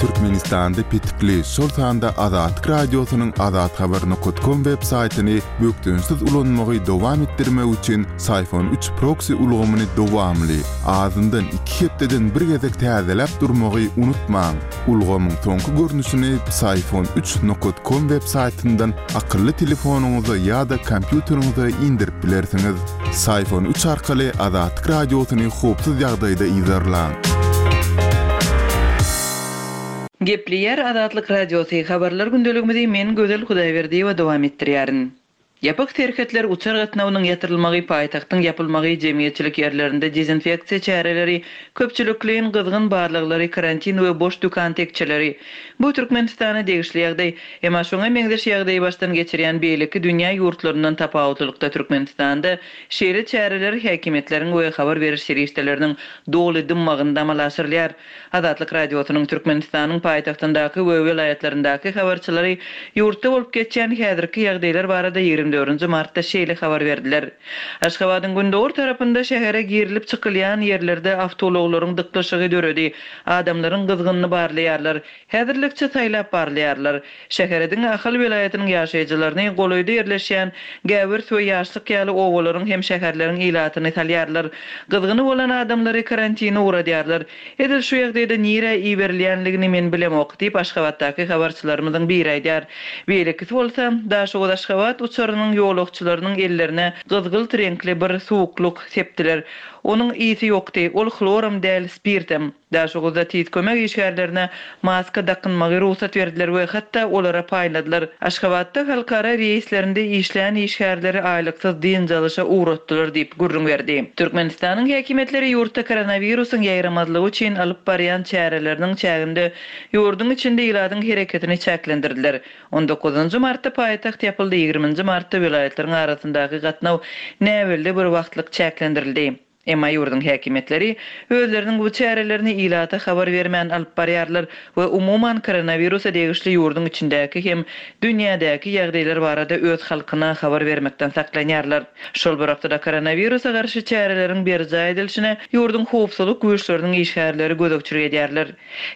Türkmenistanda petikli, şol sanda Azatlyk Radiosynyň azathabar nokat kom web saýtyny bökdençsiz ulanmagy dowam etdirmek üçin Syfon üç proksi ulgamyny dowamly, azyndan iki hepdeden bir gezek täzeläp durmagy unutmaň. Ulgamyň soňky görnüşini Psiphon üç nokat kom web saýtyndan akylly telefonyňyza ýa-da kompýuteriňize indirip bilersiňiz. Psiphon üç arkaly Azatlyk Radiosyny howpsuz ýagdaýda yzarlaň. Gepleýär Azatlyk Radiosy, Habarlar gündeligimizi men Gözel Hudaýberdiýewa dowam etdirýärin. Ýapyk serhetler, uçar gatnawynyň ýatyrylmagy, paýtagtyň ýapylmagy, jemgyýetçilik ýerlerinde dezinfeksiýa çäreleri, köpçülikleýin gyzgyn barlaglary, karantin we boş dükan tekjeleri. Bu Türkmenistana degişli ýagdaý. Emma şoňa meňzeş ýagdaýy başdan geçirýän beýleki dünýä ýurtlaryndan tapawutlylykda Türkmenistanda şeýle çäreler häkimiýetleriň we habar beriş serişdeleriniň doly dymmagynda amala aşyrylýar. Azatlyk Radiosynyň Türkmenistanyň paýtagtyndaky we welaýatlaryndaky habarçylary ýurtda bolup geçýän häzirki ýagdaýlar barada 24 nji martda şeýle habar berdiler. Aşgabadyň gündogar tarapynda şähere girilip-çykylýan ýerlerde awtoulaglaryň dyklyşygy döredi. Adamlaryň gyzgynyny barlaýarlar. Häzirlikçe saýlap barlaýarlar. Şähere diňe Ahal welaýatynyň ýaşaýjylaryny, golaýda ýerleşýän Gäwers we Ýaşlyk ýaly obalaryň hem şäherleriň ilatyny salýarlar. Gyzgyny bolan adamlary karantine ugradýarlar. Edil şu ýagdaýda nirä iberilýänligini men bilemok, diýip, Aşgabatdaky habarçylarymyzyň biri aýdýar. Beýlekisi bolsa, Daşoguz-Aşgabat uçarynyň ýolagçylarynyň ellerine gyzgylt reňkli bir suwuklyk sepdiler. Onuň ysy ýokdy. Ol hloram däl, spirtem. Daşoguzda tiz kömek işgärlerine maska dakynmagy rugsat berdiler we hatda olara paýladylar. Aşgabatda halkara reýslerinde işleýän işgärleri aýlyksyz dynç alyşa ugratdylar diýip, gürrüň berdi. Türkmenistanyň häkimiýetleri ýurtda koronawirusyň ýaýramazlygy üçin alyp barýan çäreleriniň çäginde ýurduň içinde ilatyň hereketini çäklendirdiler. On dokuzynjy martda paýtagt ýapyldy, ýigriminji martda welaýatlaryň arasyndaky gatnaw näbelli bir wagtlyk çäklendirildi. Emma ýurduň häkimiýetleri özleriniň bu çärelerini ilata habar bermän alyp barýarlar we umuman koronawirusa degişli ýurduň içindäki hem dünýädäki ýagdaýlar barada öz halkyna habar bermekden saklanýarlar. Şol bir wagtda-da koronawirusa garşy çäreleriň berjaý edilişine ýurduň howpsuzlyk güýçleriniň işgärleri gözegçilik edýärler.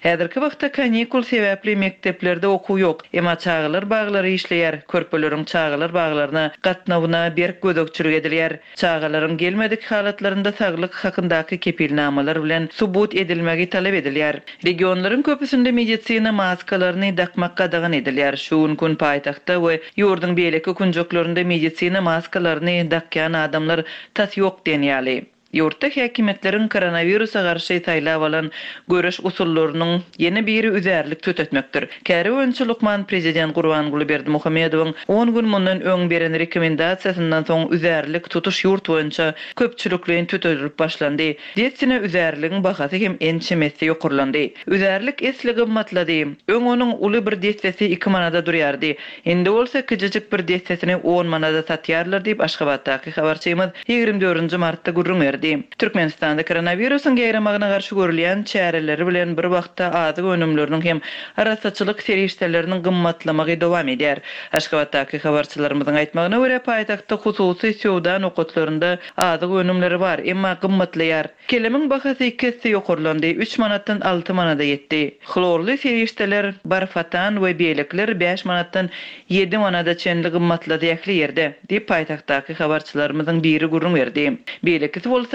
Häzirki wagtda kanikul sebäpli mekdeplerde okuw ýok. Emma çagalar baglary işleýär, körpeleriň çagalar baglaryna gatnawyna berk gözegçilik edilýär. Çagalaryň gelmedik halatlarynda saglyk hakyndaky kepilnamalar bilen subut edilmegi talap edilýär. Regionlaryň köpüsinde medisina maskalaryny dakmak gadagan edilýär. Şu günki gün paýtagtda we ýurduň beýleki künjeklerinde medisina maskalaryny dakýan adamlar tas ýok diýen ýaly. Ýurtda häkimiýetleriň koronawirusa garşy saýlap alan göreş usullarynyň ýene biri üzärlik tütetmekdir. Käri boýunça lukman prezident Gurbanguly Berdimuhamedowyň on gün mundan öň beren rekomendasiýasyndan soň üzärlik tutuş ýurt boýunça köpçülikleýin tütedilip başlandy. Dessine üzärligiň bahasy hem ençeme esse ýokarlandy. Üzärlik esli gymmatlady. Öň onuň uly bir dessesi iki manada durýardy. Indi bolsa kiçijik bir dessesini on manada satýarlar diýip, Aşgabatdaky habarçymyz 24 nji martda gürrüň berdi. Türkmenistanda koronawirusyň ýaýramagyna garşy görülýän çäreleri bilen bir wagtda azyk önümleriniň hem arassaçylyk serişdeleriniň gymmatlamagy dowam edýär. Aşgabatdaky habarçylarymyzyň aýtmagyna görä, paýtagtda hususy söwda nokatlarynda azyk önümleri bar, emma gymmatlaýar. Kelemiň bahasy iki esse ýokarlandy, üç manatdan alty manada ýetdi. Hlorly serişdeler, barfatan we beýlekiler bäş manatdan ýedi manada çenli gymmatlady ähli ýerde, diýip, paýtagtdaky habarçylarymyzyň biri gürrüň berdi. Beýlekisi bolsa,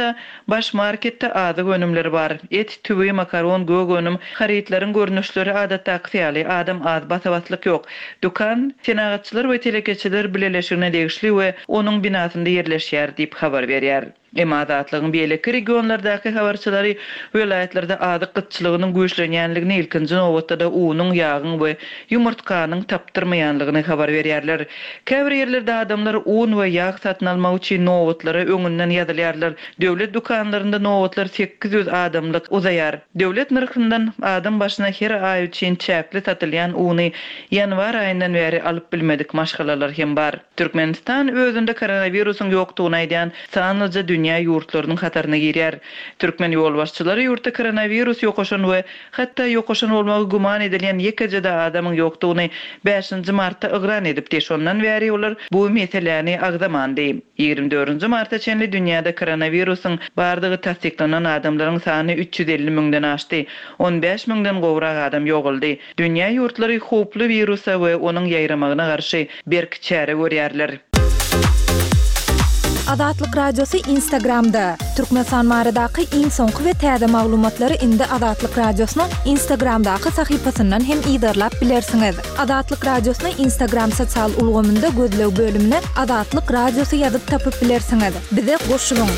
Baş marketde azyk önümleri bar. Et, tüwi, makaron, gök önüm, harytlaryň görnüşleri adatdakysy ýaly, adam az, basa-baslyk ýok. Dükan Senagatçylar we telekeçiler bileleşigine degişli we onuň binasynda ýerleşýär diýip habar berýär. Emma Azatlygyň beýleki regionlardaky habarçylary welaýatlarda azyk gytçylygynyň güýçlenýänligini, ilkinji nobatda-da unuň, ýagyň we ýumurtganyň tapdyrmaýanlygyny habar berýärler. Käbir ýerlerde adamlar un we ýag satyn almak üçin nobatlara öňünden ýazylýarlar. Döwlet dükanlarynda nobatlar 800 adamlyk uzaýar. Döwlet nyrhyndan adam başyna her aý üçin çäkli satylýan uny ýanwar aýyndan bäri alyp bilmedik maşgalalar hem bar. Türkmenistan özünde koronawirusyň ýokdugyny aýdýan sanlyja dünýä. dünýä ýurtlarynyň hataryna girýär. Türkmen ýolbaşçylary ýurtda koronawirus ýokaşan we hatda ýokaşan bolmagy güman edilýän ýekeje-de adamyň ýokdugyny bäşinji martda yglan edipdi. Şondan bäri olar bu meseläni agzamandy. Ýigrimi dördünji marta çenli dünýäde koronawirusyň bardygy tassyklanan adamlaryň sany 350 müňden aşdy. 15 müňden gowrak adam ýogaldy. Dünýä ýurtlary howply wirusa we onuň ýaýramagyna garşy berk çäre görýärler. Azatlyk Radiosy Instagramda, Türkmenistan baradaky iň soňky we täze maglumatlary indi Azatlyk Radiosynyň Instagramdaky sahypasyndan hem yzarlap bilersiňiz. Azatlyk Radiosyny Instagram sosial ulgamynda gözleg bölümine Azatlyk Radiosy ýazyp tapyp bilersiňiz. Bize goşulyň!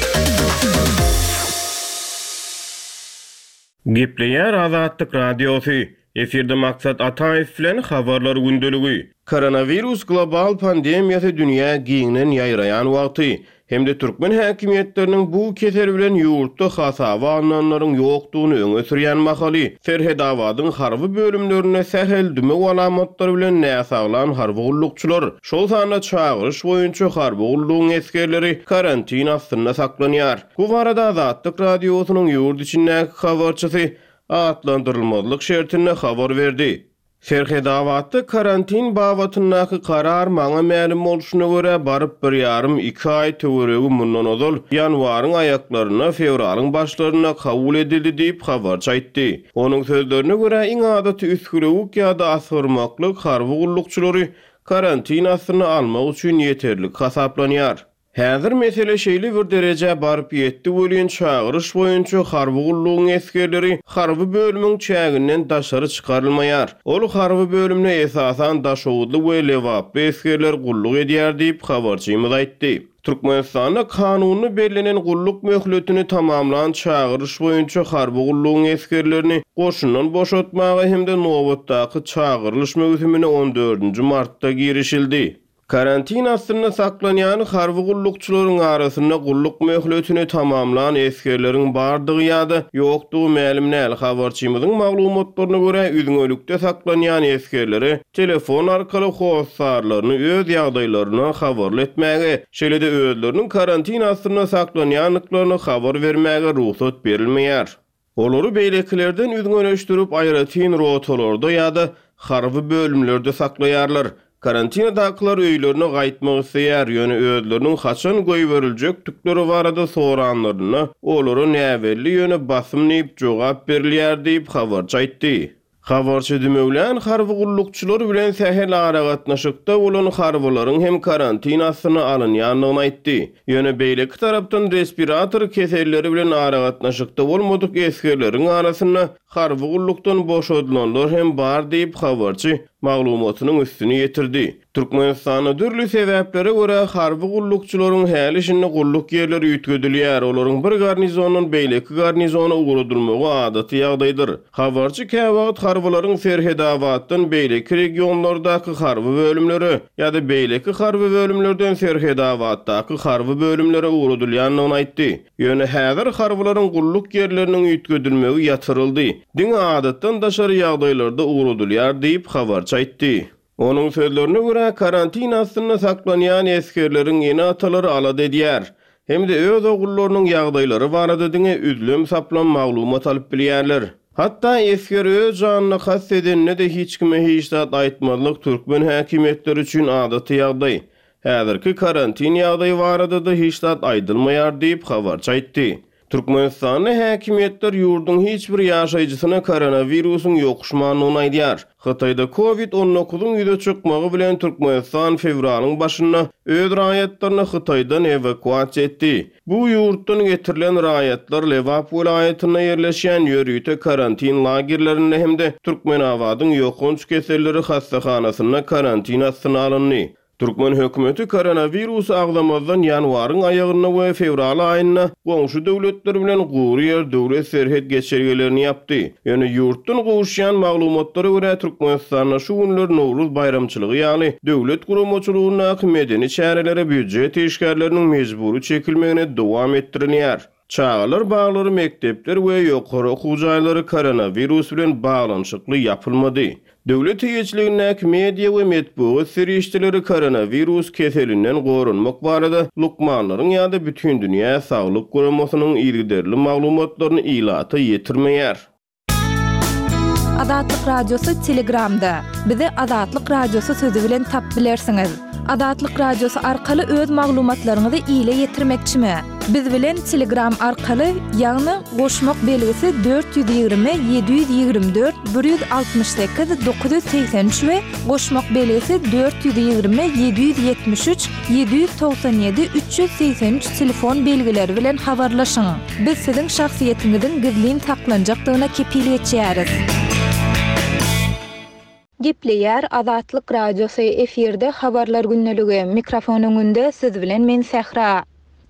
Gepleýär Azatlyk Radiosy, Efirde Maksat Ataýew bilen Habarlar gündeligi. Koronawirus global pandemiýasy dünýä giňden ýaýraýan wagty hem-de türkmen häkimiýetleriniň bu kesel bilen ýurtda hasaba alnanlaryň ýokdugyny öňe sürýän mahaly, Serhedabadyň harby bölümlerinde sähel dümew alamatlary bilen näsaglan harby gullukçylar, şol sanda çagyryş boýunça harby gullugyň esgerleri karantin astynda saklanýar. Bu barada Azatlyk Radiosynyň ýurt içindäki habarçysy atlandyrylmazlyk şertinde habar berdi. Serhedabatda karantin babatyndaky karar maňa mälim bolşuna görä baryp bir ýarym, iki aý töweregi mundan ozal, ýanwaryň aýaklarynda, fewralyň başlarynda kabul edildi diýip, habarçy aýtdy. Onuň sözlerine görä, iň adaty üsgülewük ýa-da asgyrmaklyk harby gullukçylary karantin astyna almak üçin ýeterlik hasaplanýar. Häzir mesele şeýle bir derejä baryp ýetdi welin, çagyryş boýunça harby gullugyň esgerleri harby bölümiň çäginden daşary çykarylmaýar. Ol harby bölümde esasan daşoguzly we lebaply esgerler gulluk edýär diýip, habarçymyz aýtdy. Türkmenistanda kanunda bellenen gulluk möhletini tamamlan çagyryş boýunça harby gullugyň esgerlerini goşundan boşatmaga hem-de nobatdaky çagyrylyş möwsümine on dördünji martda girişildi. Karantin astynda saklanýan harby gullukçylaryň arasynda gulluk möhletini tamamlan esgerleriň bardygy ýa-da ýokdugy mälim däl. Habarçymyzyň maglumatlaryna görä, üzňelikde saklanýan esgerlere telefon arkaly hossarlaryny öz ýagdaýlaryndan habarly etmäge, şeýle-de özleriniň karantin astynda saklanýandyklaryny habar bermäge rugsat berilmeýär. Olary beýlekilerden üzňeleşdirip, aýratyn rotalarda ýa-da harby bölümlerde saklaýarlar. Karantinadakylar öýlerine gaýtmak isleýär, ýöne özleriniň haçan goýberiljekdikleri barada soranlarynda, olara näbelli, ýöne basym diýip jogap berilýär diýip, habarçy aýtdy. Habarçy dümewlän harby gullukçylar bilen sähel aragatnaşykda bolan harbylaryň hem karantin astyna alynýandygyny aýtdy. Ýöne beýleki tarapdan respirator keselleri bilen aragatnaşykda bolmadyk esgerleriň arasynda harby gullukdan boşadylanlar hem bar diýip, habarçy maglumatynyň üstüni ýetirdi. Türkmenistanda dürli sebäplere görä harby gullukçylaryň häli-şindi gulluk ýerleri üýtgedilýär, olaryň bir garnizondan beýleki garnizona ugradylmagy adaty ýagdaýdyr. Habarçy käwagt harbylaryň Serhedabatdan beýleki regionlardaky harby bölümlere ýa-da beýleki harby bölümlerden Serhedabatdaky harby bölümlere ugradylýandygyny aýtdy. Ýöne häzir harbylaryň gulluk ýerleriniň üýtgedilmegi ýatyryldy, diňe adatdan daşary ýagdaýlarda ugradylýar diýip, habarçy aýtdy. Onuň sözlerine görä, karantin astynda saklanýan esgerleriň ene-atalary alada edýär hem-de öz ogullarynyň ýagdaýlary barada diňe üzlem-saplam maglumat alyp bilýärler. Hatda esger öz janyna kast edende-de hiç kime hiç zat aýtmazlyk türkmen häkimiýetleri üçin adaty ýagdaý. Häzirki karantin ýagdaýy barada-da hiç zat aýdylmaýar diýip, habarçy aýtdy. Türkmenistanda häkimiýetler ýurduň hiç bir ýaşaýjysyna koronawirusyň ýokuşmandygyny aýdýar. Hytaýda Covid on dokuzyň ýüze çykmagy bilen Türkmenistan fewralyň başynda öz raýatlaryny Hytaýdan ewakuasiýa etdi. Bu ýurtdan getirilen raýatlar Lebap welaýatynda ýerleşýän ýörite karantin lagerlerinde hem-de Türkmenabadyň ýokanç keselleri hassahanasynda karantin astyna alyndy. Türkmen hökümeti koronawirusy agzamazdan ýanwaryň aýagynda we fewral aýynda goňşy döwletler bilen gury ýer döwlet serhet geçelgelerini ýapdy. Ýöne ýurtdan gowuşýan maglumatlara görä, Türkmenistanda şu günler Nowruz baýramçylygy ýaly döwlet guramaçylygyndaky medeni çärelere býujet işgärleriniň mejbury çekilmegine dowam etdirilýär. Çagalar baglary, mekdepler we ýokary okuw jaýlary koronawirus bilen baglanyşykly ýapylmady. Döwlet eýeçiligindäki media we metbugat serişdeleri koronawirus keselinden goranmak barada lukmanlaryň ýa-da Bütindünýä saglyk guramasynyň yzygiderli maglumatlaryny ilata ýetirmeýär. Azatlyk Radiosy Telegramda. Bizi Azatlyk Radiosy sözi bilen tap bilersiňiz. Azatlyk Radiosy arkaly öz maglumatlaryňyzy ile ýetirmekçimi? Biz bilen Telegram arkaly, ýagny goşmak belgisi 420 724 168 983 we goşmak belgisi 420 773 797 383 telefon belgileri bilen habarlaşyň. Biz siziň şahsyýetiňiziň gizlin saklanjakdygyna kepil geçýäris. Gepleýär Azatlyk Radiosy, efirde Habarlar gündeligi, mikrofon öňünde siz bilen men Sähra.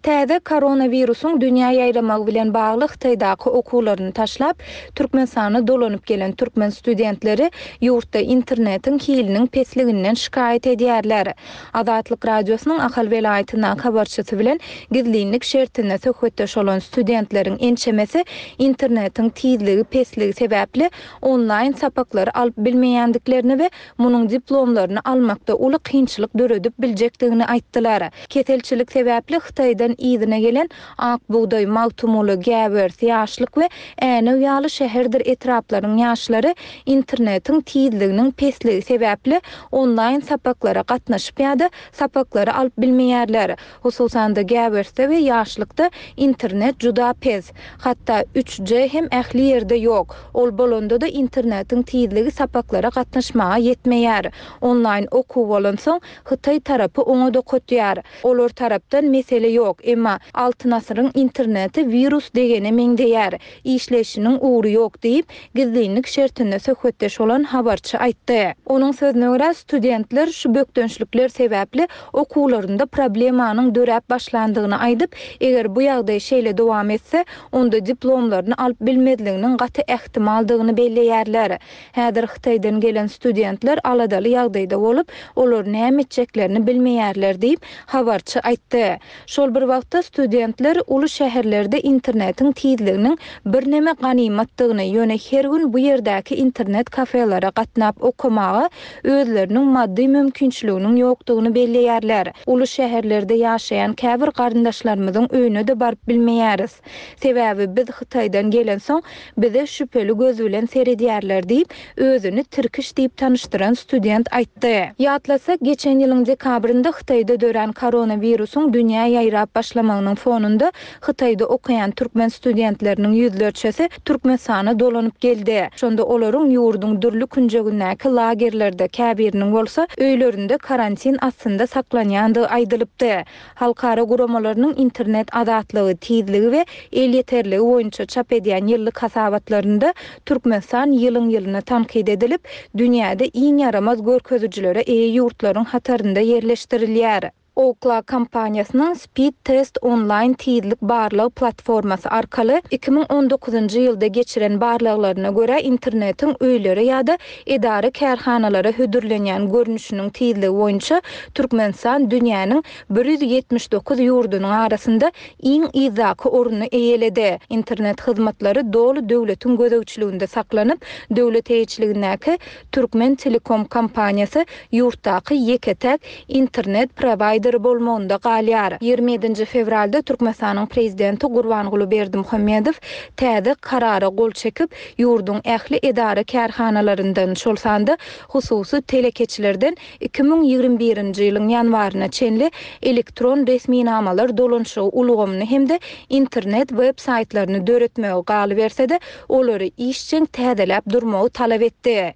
Täze koronawirusyň dünýä ýaýramagy bilen bagly Hytaýdaky okuwlaryny taşlap, Türkmenistana dolanyp gelen türkmen studentleri ýurtda internetiň hiliniň pesliginden şikaýat edýärler. Azatlyk Radiosynyň Ahal welaýatyndaky habarçysy bilen gizlinlik şertinde söhbetdeş bolan studentleriň ençemesi internetiň tizligi pesligi sebäpli onlaýn sapaklary alyp bilmeýändiklerini we munuň diplomlaryny almakda uly kynçylyk döredip biljekdigini aýtdylar. Keselçilik sebäpli Hytaýdan yzyna gelen Ak bugdaý, Magtymguly, Gäwers, Ýaşlyk we Änew ýaly şäherdir etraplaryň ýaşlary internetiň tizliginiň pesligi sebäpli onlaýn sapaklara gatnaşyp ýa-da sapaklary alyp bilmeýärler. Hususan-da, Gäwersde we Ýaşlykda internet juda pes. Hatda üç G hem ähli ýerde ýok. Ol bolanda-da internetiň tizligi sapaklara gatnaşmaga ýetmeýär. Onlaýn okuw bolansoň, hytaý tarapy oňa dokutýar. Olar tarapdan mesele ýok, emma Altyn asyryň interneti wirus degene meňzeýär, işleýşiniň ugry ýok diýip, gizlinlik şertinde söhbetdeş bolan habarçy aýtdy. Onuň sözüne görä, studentler şu bökdençlikler sebäpli okuwlarynda problemanyň döräp başlandygyny aýdyp, eger bu ýagdaý şeýle dowam etse, onda diplomlaryny alyp bilmezliginiň gaty ähtimaldygyny belleýärler. Häzir Hytaýdan gelen studentler aladaly ýagdaýda bolup, olar näme etjeklerini bilmeýärler diýip, habarçy aýtdy. Şol bir wagtda, studentler uly şäherlerde internetiň tizliginiň birneme ganymatdygyny, ýöne her gün bu ýerdäki internet kafelere gatnap okamaga özleriniň maddy mümkinçiliginiň ýokdugyny belleýärler. Uly şäherlerde ýaşaýan käbir garyndaşlarymyzyň öýüne-de baryp bilmeýäris. Sebäbi biz Hytaýdan gelensoň, bize şübheli göz bilen seredýärler diýip, özüni Tirkiş diýip tanyşdyran student aýtdy. Ýatlasak, geçen ýylyň dekabrynda Hytaýda dörän koronawirusyň dünýä ýaýrap başlamagynyň fonunda Hytaýda okaýan türkmen studentleriniň ýüzlerçesi Türkmenistana dolanyp geldi. Şonda olaryň ýurduň dürli künjegindäki lagerlerde, käbiriniň bolsa öýlerinde karantin astynda saklanýandygy aýdylypdy. Halkara guramalarynyň internet azatlygy, tizligi we elýeterligi boýunça çap edýän ýyllyk hasabatlarynda Türkmenistan ýylyň-ýylyna tankyt edilip, dünýäde iň ýaramaz görkezijilere eýe ýurtlaryň hatarynda ýerleşdirilýär. Ookla kompaniýasynyň Speedtest onlaýn tizlik barlag platformasy arkaly 2019-njy ýylda geçiren barlaglaryna görä, internetiň öýlere ýa-da edara-kärhanalara hödürlenýän görnüşiniň tizligi boýunça Türkmenistan dünýäniň 179 ýurdunyň arasynda iň yzdaky ornuny eýeledi. Internet hyzmatlary doly döwletiň gözegçiliginde saklanyp, döwlet eýeçiligindäki Türkmentelekom kompaniýasy ýurtdaky ýeke-täk internet prowaýderi bolmagynda galýar. 27-nji fewralda Türkmenistanyň Prezidenti Gurbanguly Berdimuhamedow täze Karara gol çekip, ýurduň ähli edara-kärhanalaryndan, şol sanda hususy telekeçilerden 2021-nji ýylyň ýanwaryna çenli elektron resminamalar dolanyşygy ulgamyny hem-de internet web-saýtlaryny döretmegi, galyberse-de, olary işjeň täzeläp durmagy talap etdi.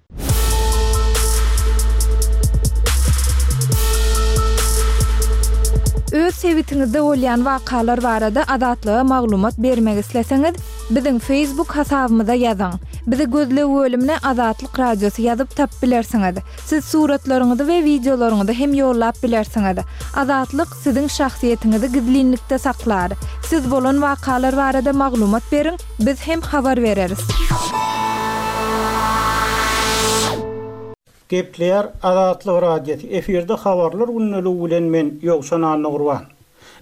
Öz sebitiňizde bolýan wakalar barada Azatlyga maglumat bermek isleseňiz, biziň Facebook hasabymyza ýazyň. Bizi gözleg bölümine Azatlyk Radiosy ýazyp tapyp bilersiňiz. Siz suratlaryňyzy we wideolaryňyzy hem ýollap bilersiňiz. Azatlyk siziň şahsyýetiňizi gizlinlikde saklar. Siz bolan wakalar barada maglumat beriň, biz hem habar bereris. Gepleýär Azatlyk Radiosy, efirde Habarlar gündeligi bilen men Ýowşan Annagurban.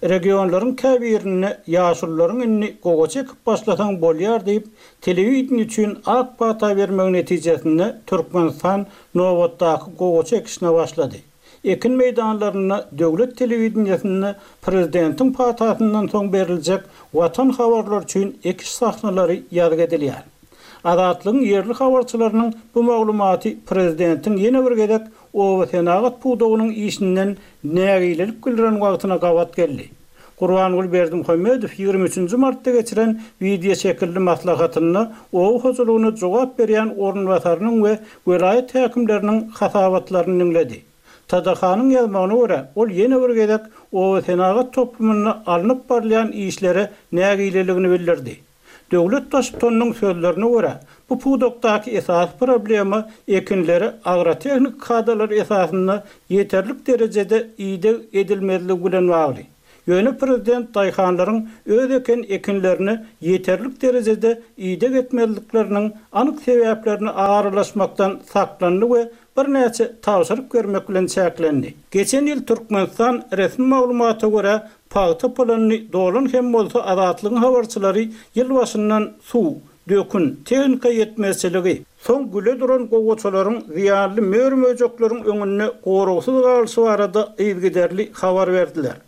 Regionlaryň käbirinde ýaşulularyň indi gowaça ekip başlasaň bolýar diýip, telewideniýe üçin ak pata bermegi netijesinde Türkmenistan nobatdaky gowaça ekişine başlady. Ekin meýdanlarynda döwlet telewideniýesinde prezidentiň patasyndan soň beriljek Watan habarlary üçin ekiş sahnalary ýazgy edilýär. Azatlygyň ýerli habarçylarynyň bu maglumaty prezidentiň ýene bir gezek obasenagat pudagynyň işinden nägilelik bildiren wagtyna gabat geldi. Gurbanguly Berdimuhamedow 23 nji martda geçiren wideoşekilli maslahatynda oba hojalygyna jogap berýän orunbasarynyň we welaýat häkimleriniň hasabatlaryny diňledi. TDH-nyň ýazmagyna görä, ol ýene bir gezek obasenagat toplumynda alnyp barylýan işlere nägileligini bildirdi. Döwlet Baştutanynyň sözlerine görä, bu pudakdaky esasy problema ekinlere agrotehniki kadalar esasynda ýeterlik derejede ideg edilmezligi bilen bagly. Ýöne prezident daýhanlaryň öz eken ekinlerine ýeterlik derejede ideg etmezlikleriniň anyk sebäplerine aralaşmakdan saklandy we birnäçe tabşyryk bermek bilen çäklendi. Geçen ýyl Türkmenistan resmi maglumata görä Pagta planyny dolan hem bolsa Azatlygyň habarçylary ýyl başyndan suw, dökün, tehnika ýetmezçiligi, soň güle duran gowaçalaryň zyýanly mör-möjekleriň öňünde goragsyz galyşy barada yzygiderli habar berdiler.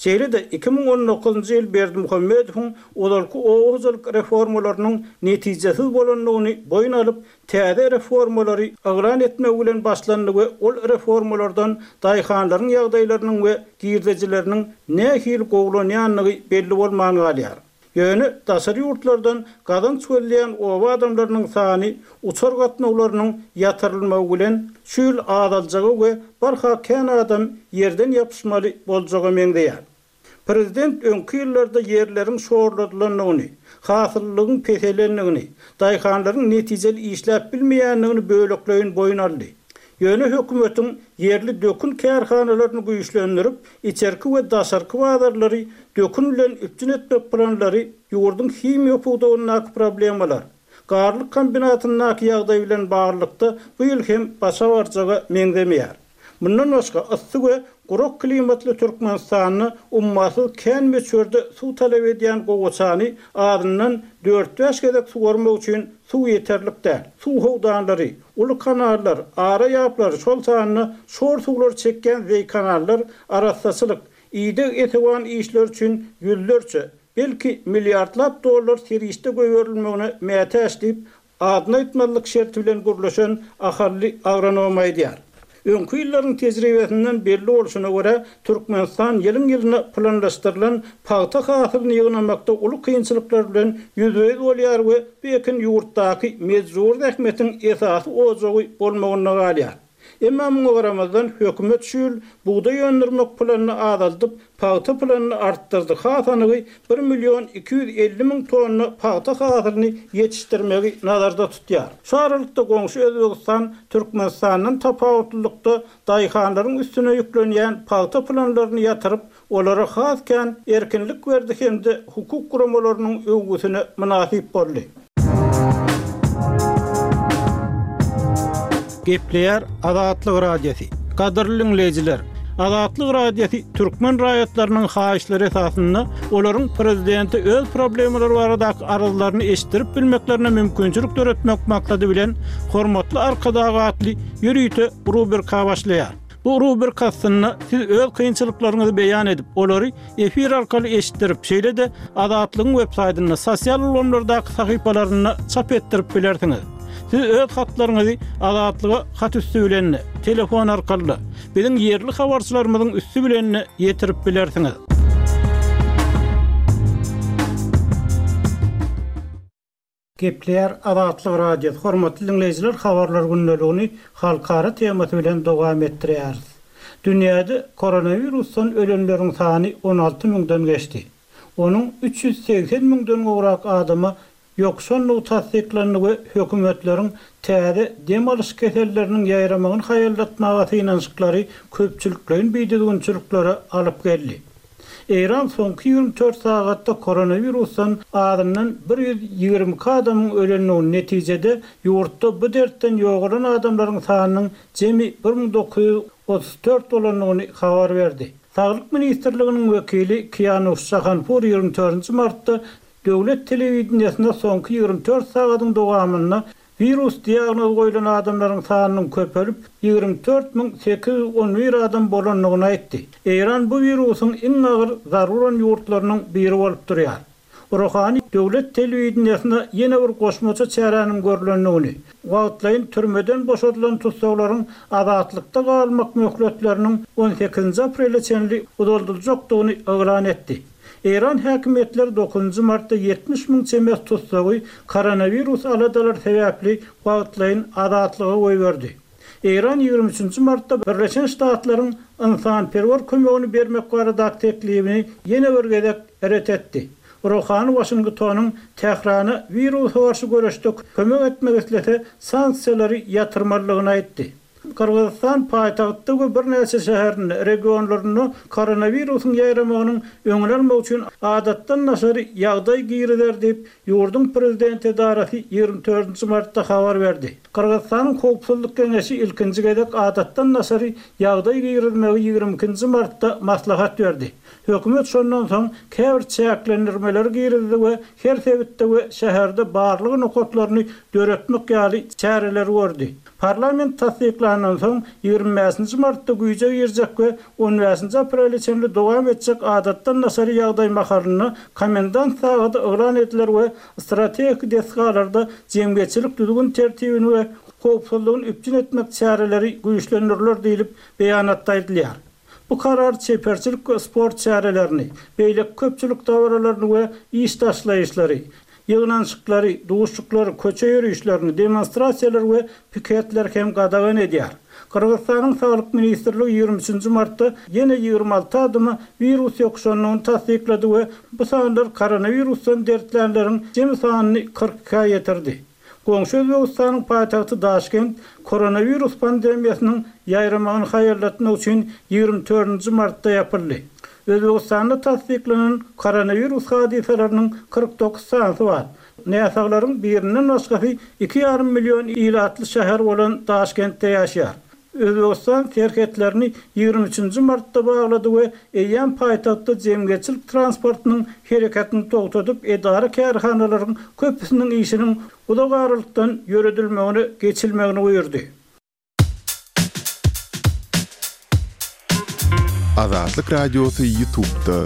Şeýle-de 2019-njy ýyl Berdimuhamedowyň ozalky oba hojalyk reformalarynyň netijesiz bolandygyny boýun alyp, täze reformalary yglan etmegi bilen başlandy we ol reformalardan daýhanlaryň ýagdaýlarynyň we girdejileriniň nähili gowulanýandygy belli bolman galýar. Ýöne daşary ýurtlardan gazanç gözleýän oba adamlarynyň sany uçar gatnawlarynyň ýatyrylmagy bilen şu ýyl azaljaga we barha kän adam ýerden ýapyşmaly boljaga meňzeýär. Prezident öňki ýyllarda ýerleriň şorladylandygyny, hasyllylygyň peselendigini, daýhanlaryň netijeli işläp bilmeýändigini bölekleýin boýun aldy. Ýöne hökümetiň ýerli dökün kärhanalaryny güýçlendirip, içerki we daşarky bazarlary dökün bilen üpjün etmek planlary ýurduň himiýa pudagyndaky problemalar, Garlyk kombinatyndaky ýagdaý bilen baglylykda bu ýyl hem başa barjaga meňzemeýär. Mundan başga, yssy we gurak klimatly Türkmenistanda ummasyz kän möçberde suw talap edýän gowaçany azyndan dört-bäş gezek suwarmak üçin suw ýeterlik däl. Suw howdanlary, uly kanallar, ara ýaplar, şol sanda şor suwlary çekýän zeýkanallar arassaçylyk, ideg-esewan işleri üçin ýüzlerçe, belki, milliardlap dollar serişde goýberilmegine mätäç diýip, Adyny aýtmazlyk şerti bilen gürleşen ahally agronom aýdýar. Öňki ýyllaryň tejribesinden belli bolşuna görä, Türkmenistan ýylyň-ýylyna planlaşdyrylan pagta hasylyny ýygnamakda uly kynçylyklar bilen ýüzbe-ýüz bolýar we bu ekin ýurtdaky mejbury zähmetiň esasy ojagy bolmagynda galýar. Emma muňa garamazdan, hökümet şu ýyl bugdaý öndürmek planyny azaldyp, pagta planyny artdyrdy, has anygy, bir million 250 müň tonna pagta hasylyny ýetişdirmegi nazarda tutýar. Şu aralykda goňşy Özbegistan Türkmenistandan tapawutlylykda daýhanlaryň üstüne ýüklenýän pagta planlaryny ýatyryp, olara has kän erkinlik berdi hem-de hukuk guramalarynyň öwgüsine mynasyp boldy. Gepleýär Azatlyk Radiosy. Gadyrly diňleýjiler! Azatlyk Radiosy türkmen raýatlarynyň haýyşlary esasynda olaryň prezidente öz problemalary baradaky arzlaryny eşitdirip bilmeklerine mümkinçilik döretmek maksady bilen Hormatly Arkadag atly ýörite rubrika başlaýar. Bu rubrika astynda siz öz kynçylyklaryňyzy beýan edip, olary efir arkaly eşitdirip, şeýle-de Azatlygyň websaýtynda, sosial ulgamlardaky sahypalarynda çap etdirip bilersiňiz. Siz öz hatlaryňyzy Azatlyga hat üsti bilen-de, telefon arkaly-da, biziň ýerli habarçylarymyzyň üsti bilen-de ýetirip bilersiňiz. Gepleýär Azatlyk Radiosy, Hormatly diňleýjiler habarlar gündeligini halkara temasy bilen dowam etdirýäris. Dünýäde koronawirusdan ölenleriň sany 16 müňden geçdi. Onuň 380 müňden gowrak adama ýokuşandygy tassyklandy we hökümetleriň täze dem alyş keselleriniň ýaýramagyny haýallatmaga synanyşyklary köpçülikleýin bidüzgünçiliklere alyp geldi. Eýran soňky 24 sagatda koronawirusdan azyndan 122 adamyň ölendigini, netijede ýurtda bu dertden ýogalan adamlaryň sanynyň jemi 1934 bolandygyny habar berdi. Saglyk ministrliginiň wekili Kiýanuş Jahanpur 24-nji martda döwlet telewideniýesinde soňky 24 sagadyň dowamynda wirus diagnozy goýlan adamlaryň sanynyň köpelip, 24 811 adam bolandygyny aýtdy. Eýran bu wirusyň iň agyr zarba uran ýurtlarynyň biri bolup durýar. Rohani döwlet telewideniýesinde ýene bir goşmaça çäräniň görlendigini, wagtlaýyn türmeden boşadylan tussaglaryň azatlykda galmak möhletleriniň on sekizinji aprele çenli uzaldyljakdygyny yglan etdi. Eýran häkimiýetleri dokuzynjy martda 70 müň çemesi tussagy koronawirus aladalary sebäpli wagtlaýyn azatlyga goýberdi. Eýran 23 martda Birleşen Ştatlaryň ynsanperwer kömegini bermek baradaky teklibini ýene bir gezek ret etdi. Rohani Waşingtonyň Tährana wirusa garşy göreşde kömek etmek islese, sanksiýalary ýatyrmalydygyny aýtdy. Gyrgyzystan paýtagtda we birnäçe şäherinde, regionlarynda koronawirusyň ýaýramagynyň öňüni almak üçin adatdan daşary ýagdaý girizer diýip, ýurduň prezident edarasy 24 martda habar berdi. Gyrgyzystanyň Howpsuzlyk geňeşi ilkinji gezek adatdan daşary ýagdaý girizmegi 22 martda maslahat berdi. Hökümet şondan soň käbir çäklendirmeleri girizdi we her sebitde we şäherde barlag nokatlaryny döretmek ýaly çäreleri gördi. Parlament tassyklandan soň, 25-nji martda güýje girjek we on bäşinji aprele çenli dowam etjek adatdan daşary ýagdaý mahalynda komendant sagady yglan ediler we strategik desgalarda jemgyýetçilik düzgün-tertibini we howpsuzlygyny üpjün etmek çäreleri güýçlendiriler diýlip, beýanatda aýdylýar. Bu karar çeperçilik we sport çärelerini, beýleki köpçülik dabaralaryny we iş taşlaýyşlary, ýygnanyşyklary, duşuşyklary, köçe ýörişlerini, demonstrasiýalary we piketleri hem gadagan edýär. Gyrgyzystanyň Saglyk ministrligi 23 nji martda ýene 26 adama wirus ýokuşandygyny tassyklady we bu sanlar koronawirusdan dertlänleriň jemi sanyny 42-ä ýetirdi. Goňşy Özbegistanyň paýtagty Daşkent koronawirus pandemiýasynyň ýaýramagyny haýallatmak üçin 24 nji martda ýapyldy. Özbegistanda tassyklanan koronawirus hadysalarynyň 49 sanysy bar. Näsaglaryň birinden başgasy iki ýarym million ilatly şäher bolan Daşkentde ýaşaýar. Özbegistan serhetlerini 23 nji martda baglady we eýýäm paýtagtda jemgyýetçilik transportynyň hereketini togtadyp, edara-kärhanalaryň köpüsiniň işiniň uzak aralykdan ýöredilmegine geçilmegini buýurdy. Azatlyk Radiosy Ýutubda.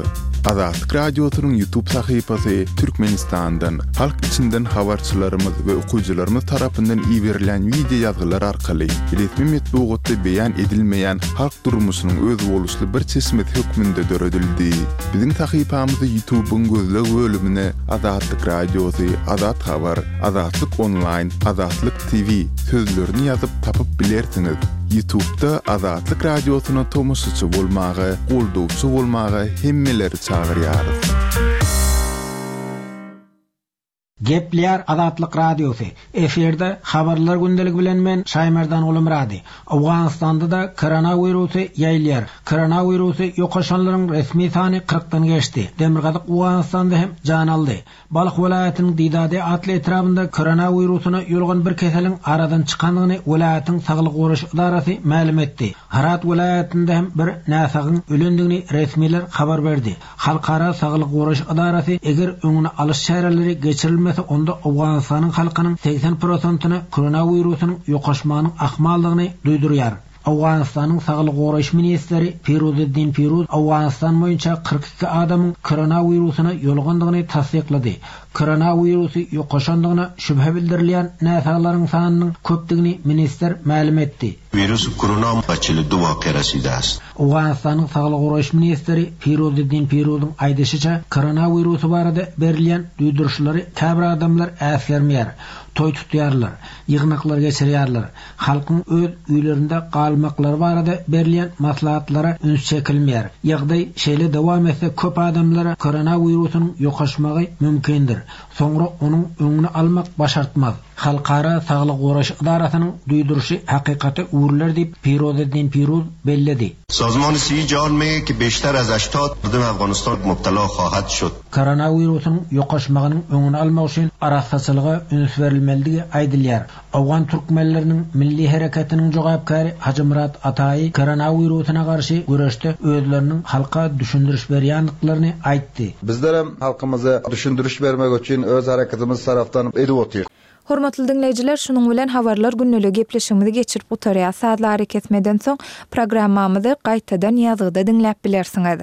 Azatlyk Radiosynyň Ýutub sahypasy Türkmenistandan, halk içinden habarçylarymyz we okyjylarymyz tarapyndan iberilýän wideo ýazgylar arkaly resmi metbugatda beýan edilmeýän halk durmuşynyň özboluşly bir çeşmesi hökmünde döredildi. Biziň sahypamyzy Ýutubyň gözleg bölümine Azatlyk Radiosy, Azat Habar, Azatlyk Onlaýn, Azatlyk TV sözlerini ýazyp tapyp bilersiňiz. Ýutubda Azatlyk Radiosyna tomaşaçy bolmaga, goldawçy bolmaga hemmeleri çagyrýarys. Gepleýär Azatlyk Radiosy, Efirde Habarlar gündeligi bilen men Şaýmerdan Gulumyrady. Owganystanda-da koronawirusy ýaýylýar. Koronawirusy ýokaşanlaryň resmi sany kyrkdan geçdi. Demirgazyk Owganystanda hem jan aldy. Balh welaýatynyň Didade atly etrabynda koronawirusyna ýolugan bir keseliň aradan çykandygyny welaýatyň saglygy goraýyş edarasy mälim etdi. Hyrat welaýatynda hem bir näsagyň ölendigini resmiler habar berdi. Halkara saglygy goraýyş edarasy eger öňüni alyş çäreleri geçirilmese onda Owganystanyň halkynyň 80 prosentyna koronawirusynyň ýokaşmagynyň ahmaldygyny duýdurýar. Owganystanyň saglygy goraýyş ministri Firuziddin Firuz Owganystan boýunça 42 adamyň koronawirusyna ýolugandygyny tassyklady. Koronawirusy ýokaşandygyna şübhe bildirilýän näsaglaryň sanynyň köpdügini ministr mälim etdi. Wirus korona 42 waka rasida ast. Owganystanyň saglygy goraýyş ministri Firuziddin Firuzyň aýdyşyça, koronawirusy barada berilýän duýduryşlary käbir adamlar äsgermeýär, toý tutýarlar, ýygnaklar geçirýärler. Halkyň öz öýlerinde galmaklary barada berilýän maslahatlara üns çekilmeýär. Ýagdaý şeýle dowam etse köp adamlara koronawirusynyň ýokaşmagy mümkindir. Soňra onuň öňüni almak başartmaz. Halkara saglygy goraýyş edarasynyň duýduryşy hakykata öwrüler diýip, Pirozeddin Piruz belledi. Sazman Sihi Jahan mege ki beşter az 80 mardum Afganistan mubtala hahat şod. Koronawirusyň ýokaşmagynyň öňüni almak üçin arassaçylyga üns berilmelidigi aýdylýar. Owgan türkmenleriniň milli hereketiniň jogapkäri Hajymyrat Ataýy koronawirusyna garşy göreşde özleriniň halka düşündiriş berýändiklerini aýtdy. Bizlerem halkymyza düşündiriş bermek üçin öz hereketimiz tarapdan edip otyrys. Hormatly diňleýjiler, şunuň bilen Habarlar gündeliği gepleşigimizi geçirip gutarýas. Sazly arakesmeden soň programmamyzy gaýtadan ýazgyda diňläp bilersiňiz.